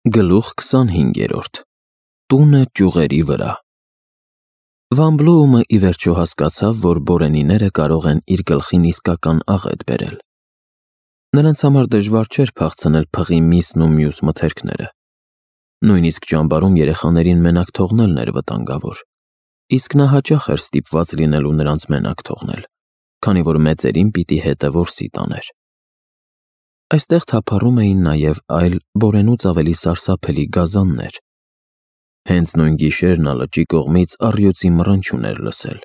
Գլուխ 25. Տունը ճյուղերի վրա։ Վան Բլոումը ի վերջո հասկացավ, որ բորենիները կարող են իր գլխին իսկական աղետ բերել։ Նրանց համար դժվար չէր փախցնել փղի միսն ու մյուս մթերքները։ Նույնիսկ ճամբարում երեխաներին մենակ թողնելն էր վտանգավոր, իսկ նա հաճախ էր ստիպված լինելու նրանց մենակ թողնել, քանի որ մեծերին պիտի հետը որսի տաներ։ Այստեղ թափառում էին նաև այլ բորենուց ավելի սարսափելի գազաններ։ Հենց նույն գիշեր նա լճի կողմից առյուծի մռնչյուն էր լսել,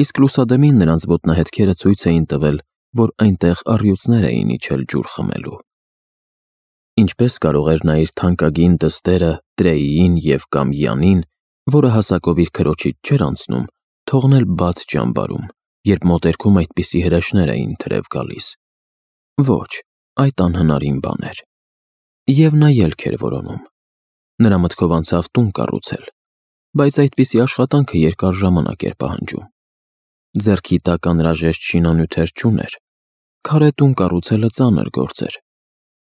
իսկ լուսադեմին նրանց ոտնահետքերը ցույց էին տվել, որ այնտեղ առյուծներ էին իջել ջուր խմելու։ Ինչպես կարող էր նա իր թանկագին դստերը Տրեյին և կամ Յանին, որը հասակով իր քրոջից չէր անցնում, թողնել բաց ճամբարում, երբ մոտերքում այդպիսի հրեշներ էին թրև գալիս։ Ոչ, այդ անհնարին բան էր։ Եվ նա ելք էր որոնում։ Նրա մտքով անցավ տուն կառուցել, բայց այդպիսի աշխատանքը երկար ժամանակ էր պահանջում։ Ձեռքի տակ անհրաժեշտ շինանյութեր չուներ։ Քարե տուն կառուցելը ծանր գործ էր։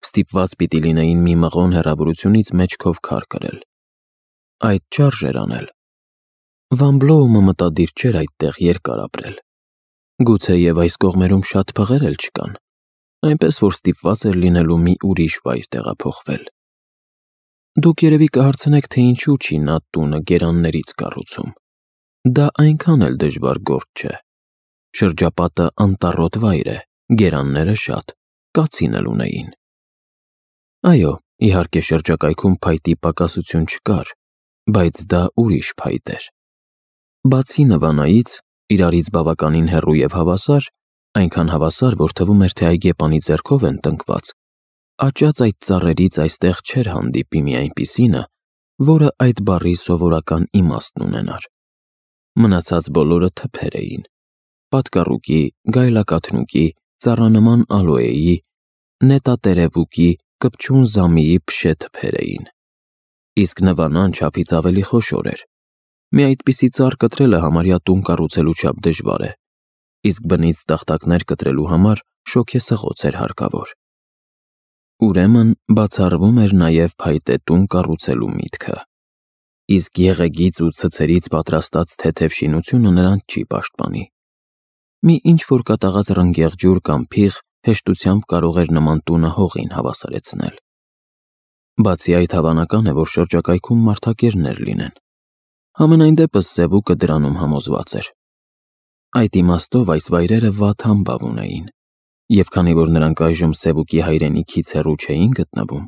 Ստիպված պիտի լինեին մի մղոն հեռավորությունից մեջքով քար կրել։ Այդ չարժ էր անել։ Վան Բլոումը մտադիր չէր այդտեղ երկար ապրել։ Գուցեև այս կողմերում շատ փղեր էլ չկան, այնպես որ ստիպված էր լինելու մի ուրիշ վայր տեղափոխվել։ Դուք երևի կհարցնեք, թե ինչու չի նա տունը գերաններից կառուցում։ Դա այնքան էլ դժվար գործ չէ։ Շրջապատը անտառոտ վայր է, գերանները շատ, կացին էլ ունեին։ Այո, իհարկե շրջակայքում փայտի պակասություն չկար, բայց դա ուրիշ փայտ էր։ Բացի նվանայից, իրարից բավականին հեռու և հավասար, այնքան հավասար, որ թվում էր, թե այգեպանի ձեռքով են տնկված, աճած այդ ծառերից այստեղ չէր հանդիպի մի այնպիսինը, որը այդ բառի սովորական իմաստն ունենար։ Մնացած բոլորը թփեր էին, պատկառուկի, գայլակաթնուկի, ծառանման ալոեի, նետատերևուկի, կպչուն զամիի փշե թփեր էին։ Իսկ նվանան չափից ավելի խոշոր էր։ Մի այդպիսի ծառ կտրելը համարյա տուն կառուցելու չափ դժվար է, իսկ բնից տախտակներ կտրելու համար շոգեսղոց էր հարկավոր։ Ուրեմն բացառվում էր նաև փայտե տուն կառուցելու միտքը։ Իսկ եղեգից ու ցցերից պատրաստած թեթև շինությունը նրանց չի պաշտպանի։ Մի ինչ-որ կատաղած ռնգեղ ջուր կամ փիղ հեշտությամբ կարող էր նման տունը հողին հավասարեցնել։ Բացի այդ, հավանական է, որ շրջակայքում մարդակերներ լինեն։ Համենայն դեպս Սևուկը դրանում համոզված էր։ Այդ իմաստով այս վայրերը վատ համբավ ունեին, և քանի որ նրանք այժմ Սևուկի հայրենիքից հեռու չէին գտնվում,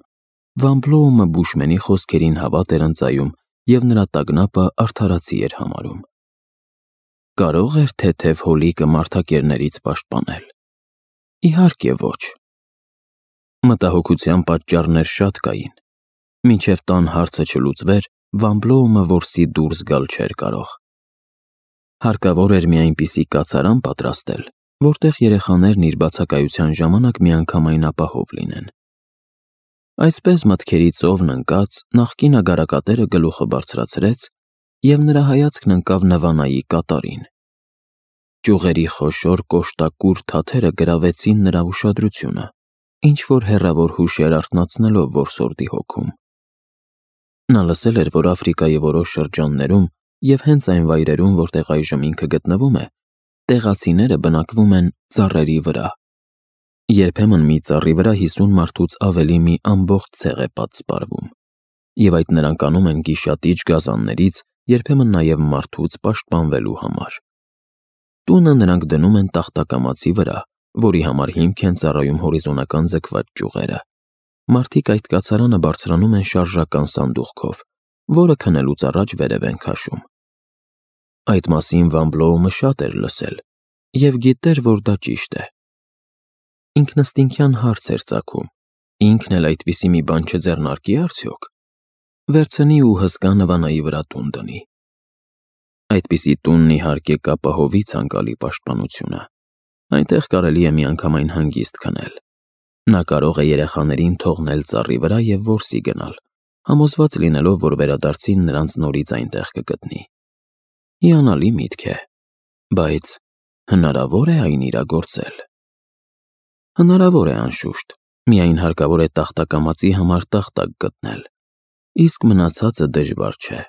Վան Բլոումը Բուշմենի խոսքերին հավատ էր ընծայում և նրա տագնապը արդարացի էր համարում։ Կարո՞ղ էր թեթև հոլիկը մարդակերներից պաշտպանել։ Իհարկե ոչ։ Մտահոգության պատճառներ շատ կային։ Մինչև տան հարցը չլուծվեր, Վան Բլոումը որսի դուրս գալ չէր կարող։ Հարկավոր էր մի այնպիսի կացարան պատրաստել, որտեղ երեխաներն իր բացակայության ժամանակ միանգամայն ապահով լինեն։ Այսպես մտքերի ծովն ընկած, նախկին ագարակատերը գլուխը բարձրացրեց, և նրա հայացքն ընկավ Նվանայի կատարին։ Ճյուղերի խոշոր կոշտակուր թաթերը գրավեցին նրա ուշադրությունը, ինչ-որ հեռավոր հուշեր արթնացնելով որսորդի հոգում։ Նա լսել էր, որ Աֆրիկայի որոշ շրջաններում և հենց այն վայրերում, որտեղ այժմ ինքը գտնվում է, տեղացիները բնակվում են ծառերի վրա։ Երբեմն մի ծառի վրա 50 մարդուց ավելի մի ամբողջ ցեղ է պատսպարվում, և այդ նրանք անում են գիշատիչ գազաններից, երբեմն նաև մարդուց պաշտպանվելու համար։ Տունը նրանք դնում են տախտակամածի վրա, որի համար հիմք են ծառայում հորիզոնական ձգված ճյուղերը։ Մարդիկ այդ կացարանը բարձրանում են շարժական սանդուղքով, որը քնելուց առաջ վերև են քաշում։ Այդ մասին Վան Բլոումը շատ էր լսել և գիտեր, որ դա ճիշտ է։ Ինքնըստինքյան հարց էր ծագում. ինքն էլ այդպիսի մի բան չձեռնարկի արդյոք։ Վերցնի ու հսկա Նվանայի վրա տուն դնի։ Այդպիսի տունն իհարկե կապահովի ցանկալի պաշտպանությունը։ Այնտեղ կարելի է միանգամայն հանգիստ քնել։ Նա կարող է երեխաներին թողնել ծառի վրա և որսի գնալ, համոզված լինելով, որ վերադարձին նրանց նորից այնտեղ կգտնի։ Հիանալի միտք է, բայց հնարավո՞ր է այն իրագործել։ Հնարավոր է, անշուշտ, Միայն հարկավոր է տախտակամածի համար տախտակ գտնել, իսկ մնացածը դժվար չէ։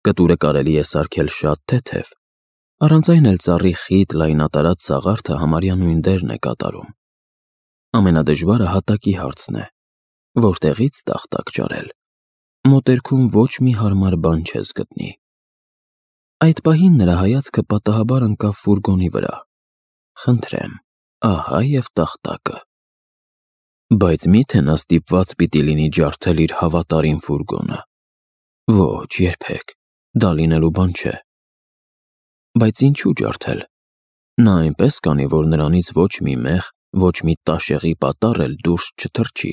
Կտուրը կարելի է սարքել շատ թեթև, առանց այն էլ ծառի խիտ լայնատարած սաղարթը համարյա նույն դերն է կատարում։ Ամենադժվարը հատակի հարցն է, որտեղից տախտակ ճարել։ Մոտերքում ոչ մի հարմար բան չես գտնի։ Այդ պահին նրա հայացքը պատահաբար ընկավ ֆուրգոնի վրա։ Խնդրեմ, ահա և տախտակը։ Բայց մի՞թե նա ստիպված պիտի լինի ջարդել իր հավատարիմ ֆուրգոնը։ Ոչ, երբեք, դա լինելու բան չէ։ Բայց ինչու ջարդել։ Նա այնպես կանի, որ նրանից ոչ մի մեղ, ոչ մի տաշեղի պատառ էլ դուրս չթռչի։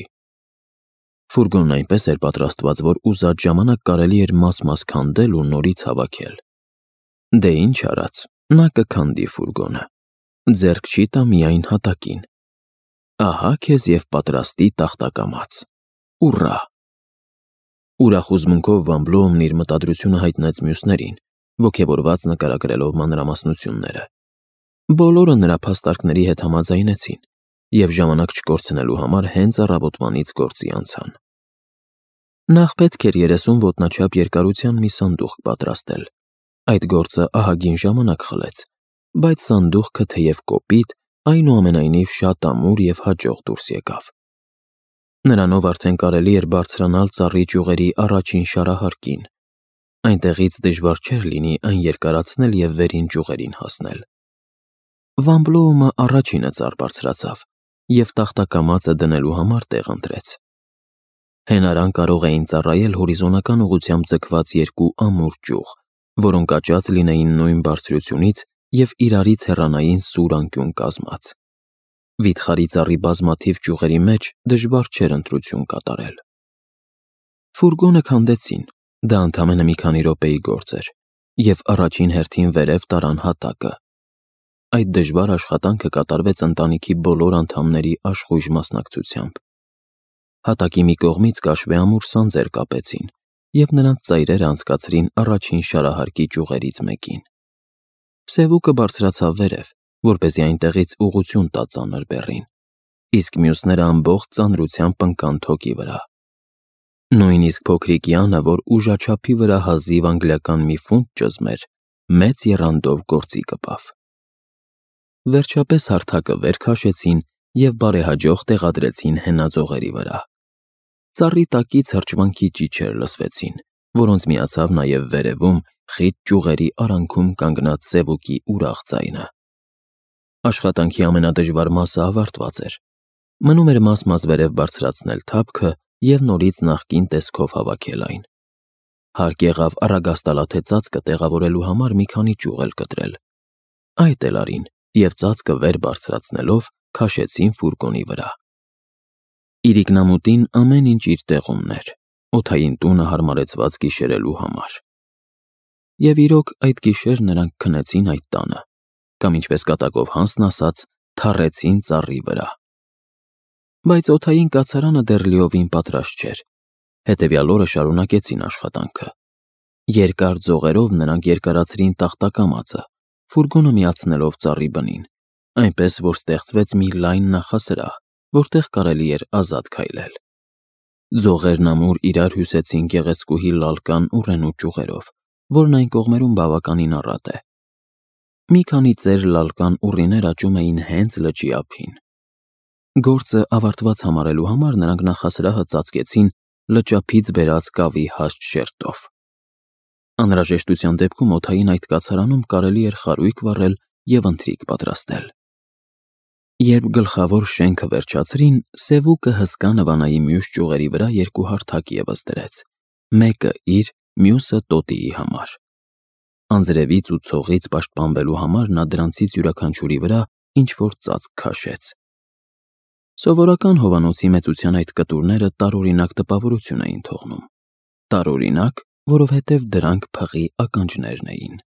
Ֆուրգոնն այնպես էր պատրաստված, որ ուզած ժամանակ կարելի էր մաս-մաս քանդել ու նորից հավաքել։ Դե ինչ արած, նա կքանդի ֆուրգոնը, ձեռք չի տա միայն հատակին։ Ահա քեզ և պատրաստի տախտակամաց։ Ուռա։ Ուրախ հուզմունքով Վան Բլոումն իր մտադրությունը հայտնեց մյուսներին, ոգևորված նկարագրելով մանրամասնությունները։ Բոլորը նրա փաստարկների հետ համաձայնեցին և ժամանակ չկորցնելու համար հենց առավոտվանից գործի անցան։ Նախ պետք էր 30 ոտնաչափ երկարության մի սանդուղք պատրաստել։ Այդ գործը ահագին ժամանակ խլեց, բայց սանդուղքը թեև կոպիտ, այնուամենայնիվ շատ ամուր և հաջող դուրս եկավ։ Նրանով արդեն կարելի էր բարձրանալ ծառի ճյուղերի առաջին շարահարկին։ Այնտեղից դժվար չէր լինի այն երկարացնել և վերին ճյուղերին հասնել։ Վան Բլոումը առաջինը ծառ բարձրացավ և տախտակամածը դնելու համար տեղ ընտրեց։ Հենարան կարող էին ծառայել հորիզոնական ուղղությամբ ձգված երկու ամուր ճյուղ, որոնք աճած լինեին նույն բարձրությունից և իրարից հեռանային սուր անկյուն կազմած։ Վիթխարի ծառի բազմաթիվ ճյուղերի մեջ դժվար չէր ընտրություն կատարել։ Ֆուրգոնը քանդեցին, դա ընդամենը մի քանի րոպեի գործ էր, և առաջին հերթին վերև տարան հատակը։ Այդ դժվար աշխատանքը կատարվեց ընտանիքի բոլոր անդամների աշխույժ մասնակցությամբ։ Հատակի մի կողմից կաշվեամուր սանձեր կապեցին և նրանց ծայրերը անցկացրին առաջին շարահարկի ճյուղերից մեկին։ Սևուկը բարձրացավ վերև, որպեսզի այնտեղից ուղղություն տա ծանր բեռին, իսկ մյուսները ամբողջ ծանրությամբ ընկան թոկի վրա։ Նույնիսկ փոքրիկ Յանը, որ ուժաչափի վրա հազիվ անգլիական մի ֆունտ ճզմեր, մեծ եռանդով գործի կպավ։ Վերջապես հարթակը վեր քաշեցին և բարեհաջող տեղադրեցին հենաձողերի վրա։ Ծառի տակից հրճվանքի ճիչեր լսվեցին, որոնց միացավ նաև վերևում խիտ ճյուղերի արանքում կանգնած Սևուկի ուրախ ձայնը։ Աշխատանքի ամենադժվար մասը ավարտված էր։ Մնում էր մաս-մաս վերև բարձրացնել թափքը և նորից նախկին տեսքով հավաքել այն։ Հարկ եղավ առագաստալաթե ծածկը տեղավորելու համար մի քանի ճյուղ էլ կտրել։ Այդ էլ արին և ծածկը վեր բարձրացնելով քաշեցին ֆուրգոնի վրա։ Իրիկնամուտին ամեն ինչ իր տեղումն էր, օդային տունը հարմարեցված գիշերելու համար։ Եվ իրոք այդ գիշեր նրանք քնեցին այդ տանը, կամ ինչպես կատակով Հանսն ասաց, թառեցին ծառի վրա։ Բայց օդային կացարանը դեռ լիովին պատրաստ չէր, հետևյալ օրը շարունակեցին աշխատանքը։ Երկար ձողերով նրանք երկարացրին տախտակամածը, ֆուրգոնը միացնելով ծառի բնին, այնպես որ ստեղծվեց մի լայն նախասրահ, որտեղ կարելի էր ազատ քայլել։ Ձողերն ամուր իրար հյուսեցին գեղեցկուհի լալկան ուռենու ճյուղերով, որն այն կողմերում բավականին առատ է։ Մի քանի ծեր լալկան ուռիներ աճում էին հենց լճի ափին։ Գործը ավարտված համարելու համար նրանք նախասրահը ծածկեցին լճափից բերած կավի հաստ շերտով։ Անհրաժեշտության դեպքում օդային այդ կացարանում կարելի էր խարույկ վառել և ընթրիք պատրաստել։ Երբ գլխավոր շենքը վերջացրին, Սևուկը հսկա նվանայի մյուս ճյուղերի վրա երկու հարթակ ևս դրեց, մեկը իր, մյուսը տոտիի համար։ Անձրևից ու ցողից պաշտպանվելու համար նա դրանցից յուրաքանչյուրի վրա ինչ-որ ծածկ քաշեց։ Սովորական հովանոցի մեծության այդ կտուրները տարօրինակ տպավորություն էին թողնում։ Տարօրինակ, որովհետև դրանք փղի ականջներն էին։